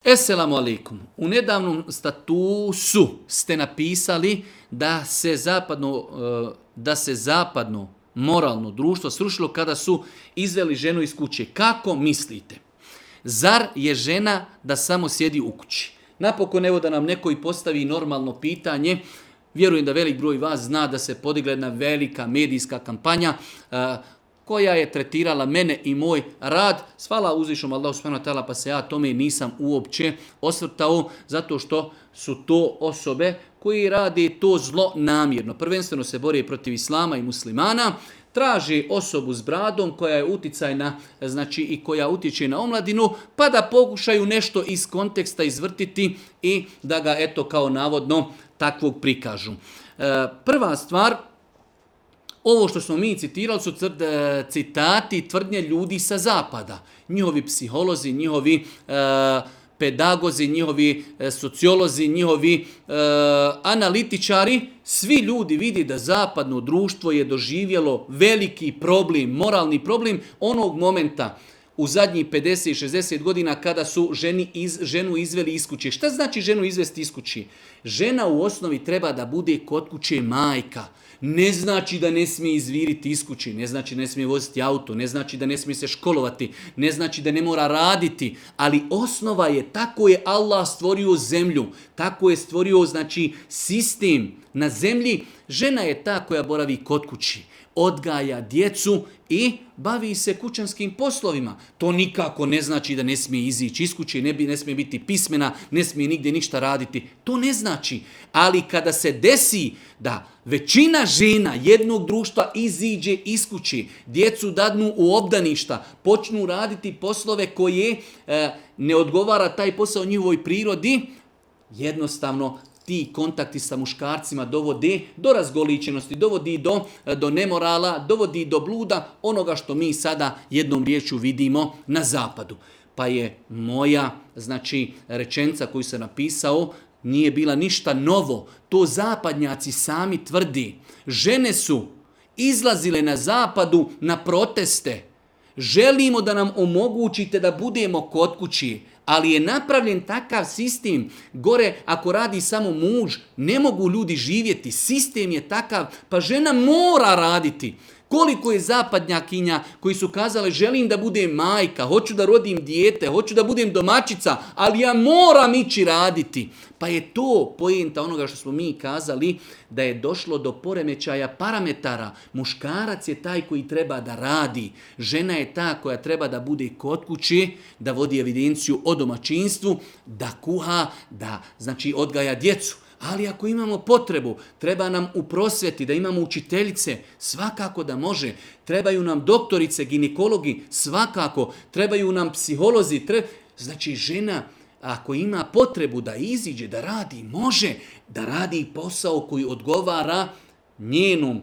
Esselamu alaikum. U nedavnom statusu ste napisali da se zapadno moralno društvo srušilo kada su izveli ženu iz kuće. Kako mislite? Zar je žena da samo sjedi u kući? Napokon evo da nam neko i postavi normalno pitanje. Vjerujem da velik broj vas zna da se podigla jedna velika medijska kampanja koja je tretirala mene i moj rad. Hvala uzvišnom Allahu subhanahu wa ta'ala, pa se ja tome nisam uopće osvrtao, zato što su to osobe koji rade to zlo namjerno. Prvenstveno se bore protiv islama i muslimana, traži osobu s bradom koja je uticajna, znači i koja utječe na omladinu, pa da pokušaju nešto iz konteksta izvrtiti i da ga eto kao navodno takvog prikažu. Prva stvar, ovo što smo mi citirali su citati i tvrdnje ljudi sa zapada. Njihovi psiholozi, njihovi pedagozi, njihovi sociolozi, njihovi analitičari, svi ljudi vidi da zapadno društvo je doživjelo veliki problem, moralni problem onog momenta u zadnjih 50-60 godina kada su ženu izveli iz kuće. Šta znači ženu izvesti iz kuće? Žena u osnovi treba da bude kod kuće majka. Ne znači da ne smije izviriti iz kuće, ne znači da ne smije voziti auto, ne znači da ne smije se školovati, ne znači da ne mora raditi, ali osnova je, tako je Allah stvorio zemlju, tako je stvorio znači sistem na zemlji. Žena je ta koja boravi kod kući, odgaja djecu i bavi se kućanskim poslovima. To nikako ne znači da ne smije izići iz kuće, ne smije biti pismena, ne smije nigdje ništa raditi. To ne znači. Ali kada se desi da većina žena jednog društva iziđe iz kuće, djecu dadnu u obdaništa, počnu raditi poslove koje ne odgovara taj posao njihovoj prirodi, jednostavno ti kontakti sa muškarcima dovode do razgoličenosti, dovodi do nemorala, dovodi do bluda, onoga što mi sada jednom riječju vidimo na zapadu. Pa je moja rečenica koju sam napisao nije bila ništa novo. To zapadnjaci sami tvrdi. Žene su izlazile na zapadu na proteste. Želimo da nam omogućite da budemo kod kući, ali je napravljen takav sistem. Gore, ako radi samo muž, ne mogu ljudi živjeti. Sistem je takav, pa žena mora raditi. Koliko je zapadnjakinja koji su kazale želim da budem majka, hoću da rodim dijete, hoću da budem domaćica, ali ja moram ići raditi. Pa je to poenta onoga što smo mi kazali, da je došlo do poremećaja parametara. Muškarac je taj koji treba da radi. Žena je ta koja treba da bude kod kuće, da vodi evidenciju o domaćinstvu, da kuha, da odgaja djecu. Ali ako imamo potrebu, treba nam u prosvjeti, da imamo učiteljice, svakako da može. Trebaju nam doktorice, ginekologi, svakako. Trebaju nam psiholozi. Znači žena, ako ima potrebu da iziđe, da radi, može da radi posao koji odgovara njenom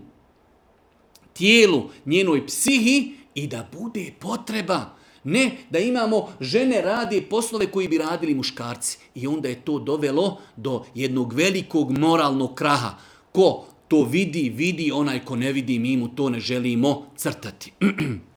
tijelu, njenoj psihi i da bude potreba. Ne da imamo žene rade poslove koji bi radili muškarci. I onda je to dovelo do jednog velikog moralnog kraha. Ko to vidi, onaj ko ne vidi, mi mu to ne želimo crtati.